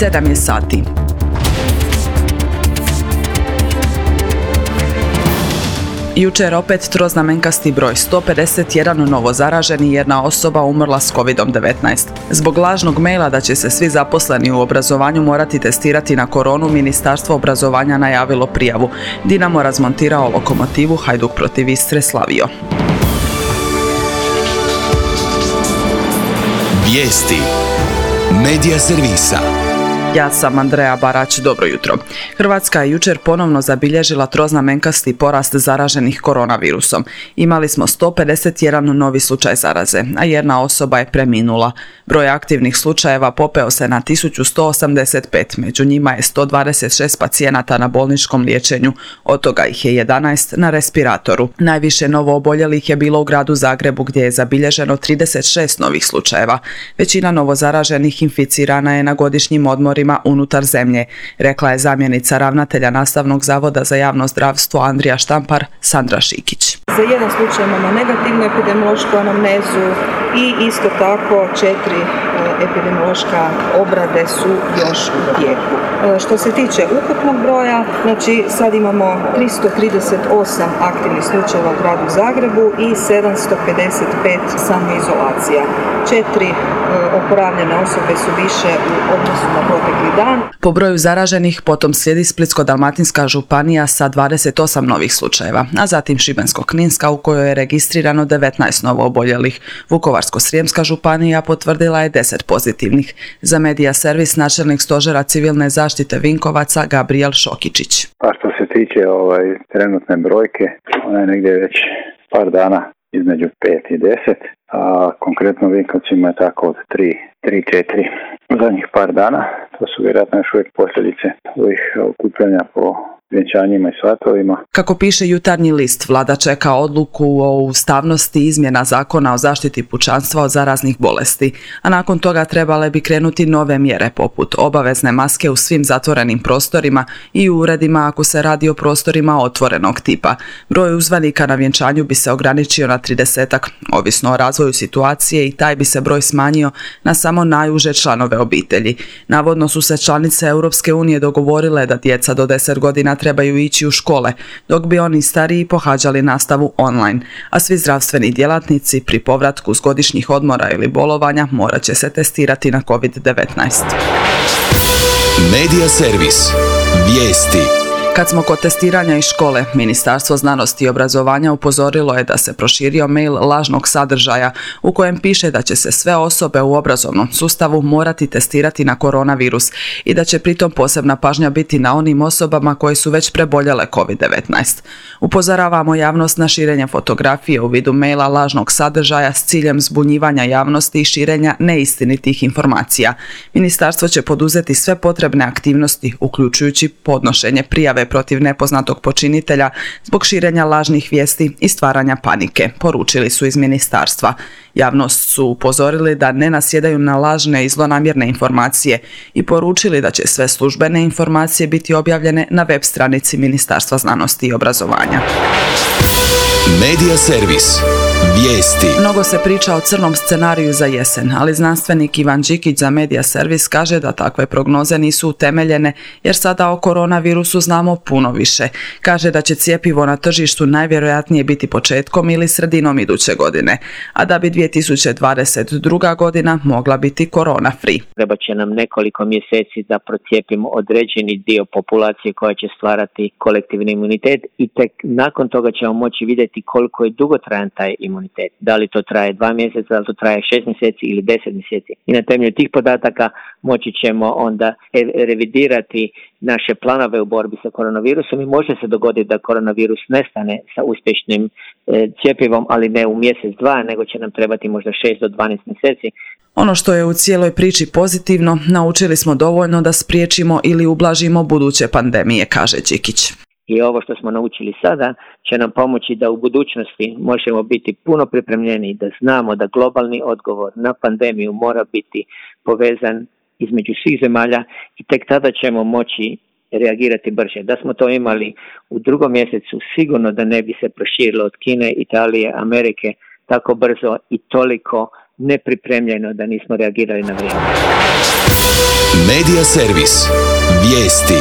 7 je sati. Jučer opet troznamenkasti broj, 151 novo zaraženi i jedna osoba umrla s COVID-19. Zbog lažnog maila da će se svi zaposleni u obrazovanju morati testirati na koronu, Ministarstvo obrazovanja najavilo prijavu. Dinamo razmontirao lokomotivu, Hajduk protiv Istre slavio. Vijesti Medija servisa. Ja sam Andreja Barać, dobro jutro. Hrvatska je jučer ponovno zabilježila troznamenkasti porast zaraženih koronavirusom. Imali smo 151 novi slučaj zaraze, a jedna osoba je preminula. Broj aktivnih slučajeva popeo se na 1185, među njima je 126 pacijenata na bolničkom liječenju, od toga ih je 11 na respiratoru. Najviše novo oboljelih je bilo u gradu Zagrebu gdje je zabilježeno 36 novih slučajeva. Većina novo zaraženih inficirana je na godišnjim odmorima unutar zemlje, rekla je zamjenica ravnatelja Nastavnog zavoda za javno zdravstvo Andrija Štampar, Sandra Šikić. Za jedan slučaj imamo negativnu epidemiološku anamnezu i isto tako 4 epidemiološka obrade su još u tijeku. Što se tiče ukupnog broja, znači sad imamo 338 aktivnih slučajeva u gradu Zagrebu i 755 samoizolacija. 4 oporavljene osobe su više u odnosu na protekli dan. Po broju zaraženih potom slijedi Splitsko-dalmatinska županija sa 28 novih slučajeva, a zatim Šibensko-kninska u kojoj je registrirano 19 novo oboljelih. Vukovarsko-srijemska županija potvrdila je 10 pozitivnih. Za Medija servis načelnik stožera civilne zaštite Vinkovaca Gabriel Šokičić. Pa što se tiče trenutne brojke, ona je negdje već par dana između 5 i 10, a konkretno u Vinkovcima je tako od 3-4 zadnjih par dana. To su vjerojatno još uvijek posljedice ovih okupljanja po vjenčanjima i svatovima. Kako piše Jutarnji list, vlada čeka odluku o ustavnosti izmjena zakona o zaštiti pučanstva od zaraznih bolesti, a nakon toga trebale bi krenuti nove mjere poput obavezne maske u svim zatvorenim prostorima i u uredima ako se radi o prostorima otvorenog tipa. Broj uzvanika na vjenčanju bi se ograničio na 30-ak, ovisno o razvoju situacije, i taj bi se broj smanjio na samo najuže članove obitelji. Navodno su se članice Europske unije dogovorile da djeca do 10 godina trebaju ići u škole, dok bi oni stariji pohađali nastavu online, a svi zdravstveni djelatnici pri povratku s godišnjih odmora ili bolovanja morat će se testirati na COVID-19. Medija servis. Vijesti. Kad smo kod testiranja iz škole, Ministarstvo znanosti i obrazovanja upozorilo je da se proširio mail lažnog sadržaja u kojem piše da će se sve osobe u obrazovnom sustavu morati testirati na koronavirus i da će pritom posebna pažnja biti na onim osobama koje su već preboljele COVID-19. Upozoravamo javnost na širenje fotografije u vidu maila lažnog sadržaja s ciljem zbunjivanja javnosti i širenja neistinitih informacija. Ministarstvo će poduzeti sve potrebne aktivnosti, uključujući podnošenje prijave protiv nepoznatog počinitelja zbog širenja lažnih vijesti i stvaranja panike, poručili su iz ministarstva. Javnost su upozorili da ne nasjedaju na lažne i zlonamjerne informacije i poručili da će sve službene informacije biti objavljene na web stranici Ministarstva znanosti i obrazovanja. Medija servis. Vijesti. Mnogo se priča o crnom scenariju za jesen, ali znanstvenik Ivan Đikić za Medija servis kaže da takve prognoze nisu utemeljene jer sada o koronavirusu znamo puno više. Kaže da će cjepivo na tržištu najvjerojatnije biti početkom ili sredinom iduće godine, a da bi 2022. godina mogla biti korona free. Treba će nam nekoliko mjeseci da procijepimo određeni dio populacije koja će stvarati kolektivni imunitet i tek nakon toga ćemo moći vidjeti koliko je dugotrajan taj imunitet. Da li to traje 2 mjeseca, da li to traje 6 mjeseci ili 10 mjeseci. I na temelju tih podataka moći ćemo onda revidirati naše planove u borbi sa koronavirusom i može se dogoditi da koronavirus nestane sa uspješnim cjepivom, ali ne u mjesec, 2, nego će nam trebati možda 6 do 12 mjeseci. Ono što je u cijeloj priči pozitivno, naučili smo dovoljno da spriječimo ili ublažimo buduće pandemije, kaže Đikić. I ovo što smo naučili sada će nam pomoći da u budućnosti možemo biti puno pripremljeni, da znamo da globalni odgovor na pandemiju mora biti povezan između svih zemalja i tek tada ćemo moći reagirati brže. Da smo to imali u 2. mjesecu, sigurno da ne bi se proširilo od Kine, Italije, Amerike tako brzo i toliko nepripremljeno, da nismo reagirali na vrijeme. Medija servis. Vijesti.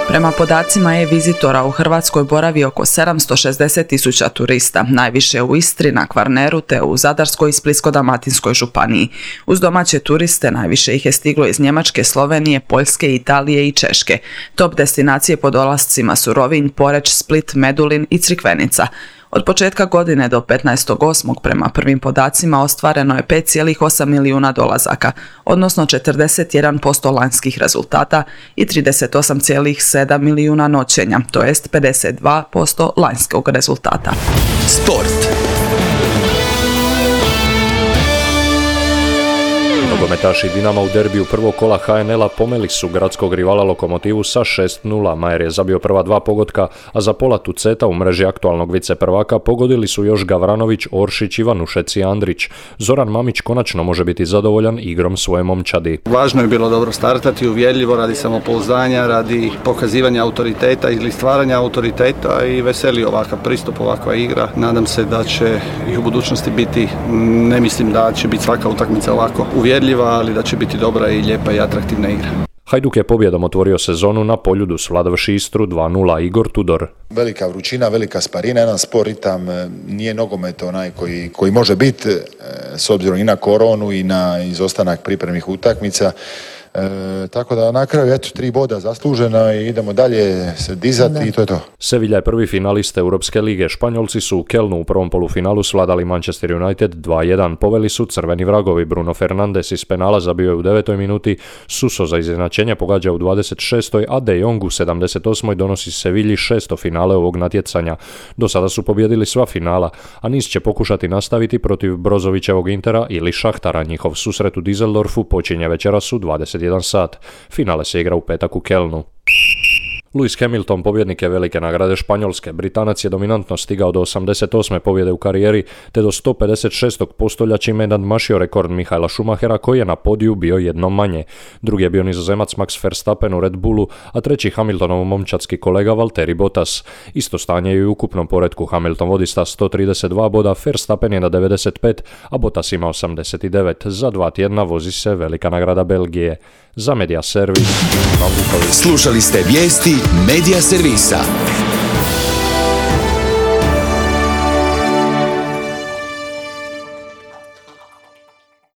Prema podacima e-vizitora u Hrvatskoj boravi oko 760.000 turista, najviše u Istri, na Kvarneru te u Zadarskoj i Splitsko-dalmatinskoj županiji. Uz domaće turiste najviše ih je stiglo iz Njemačke, Slovenije, Poljske, Italije i Češke. Top destinacije po dolascima su Rovinj, Poreč, Split, Medulin i Crikvenica. Od početka godine do 15.8. prema prvim podacima ostvareno je 5,8 milijuna dolazaka, odnosno 41% lanjskih rezultata i 38,7 milijuna noćenja, to jest 52% lanjskog rezultata. Sport. Nogometaši Dinama u derbiju prvog kola HNL-a pomeli su gradskog rivala Lokomotivu sa 6:0. Majer je zabio prva dva pogotka, a za pola tuceta u mreži aktualnog viceprvaka pogodili su još Gavranović, Oršić, Ivanušec i Andrić. Zoran Mamić konačno može biti zadovoljan igrom svoje momčadi. Važno je bilo dobro startati, uvjerljivo, radi samopouzdanja, radi pokazivanja autoriteta ili stvaranja autoriteta i veseli ovakav pristup, ovakva igra. Nadam se da će i u budućnosti biti, ne mislim da će biti svaka utakmica ovako uvjerljiva, ali da će biti dobra i lijepa i atraktivna igra. Hajduk je pobjedom otvorio sezonu na Poljudu svladavši Istru 2:0. Igor Tudor. Velika vrućina, velika sparina, jedan spor ritam, nije nogomet onaj koji može biti s obzirom i na koronu i na izostanak pripremnih utakmica. Tako da na kraju 3 boda zaslužena i idemo dalje se dizati i to je to. Sevilla je prvi finalist Europske lige. Španjolci su u Kelnu u prvom polufinalu svladali Manchester United 2:1. Poveli su crveni vragovi. Bruno Fernandes iz penala zabio je u 9. minuti, Suso za izjednačenje pogađa u 26. a De Jong u 78. donosi Sevilji 6. finale ovog natjecanja. Do sada su pobijedili sva finala, a niz će pokušati nastaviti protiv Brozovićevog Intera ili Šahtara. Njihov susret u Düsseldorfu počinje večeras u 21 sat. Finale se igra u petak u Kelnu. Lewis Hamilton pobjednik je velike nagrade Španjolske. Britanac je dominantno stigao do 88. pobjede u karijeri te do 156. postolja čime je nadmašio rekord Michaela Schumachera koji je na podiju bio jednom manje. Drugi je bio Nizozemac Max Verstappen u Red Bullu, a treći Hamiltonov momčadski kolega Valtteri Bottas. Isto stanje je i u ukupnom poretku. Hamilton vodi sa 132 boda, Verstappen je na 95, a Bottas ima 89. Za 2 tjedna vozi se velika nagrada Belgije. Za Medija servis. Slušali ste vijesti Medija servisa.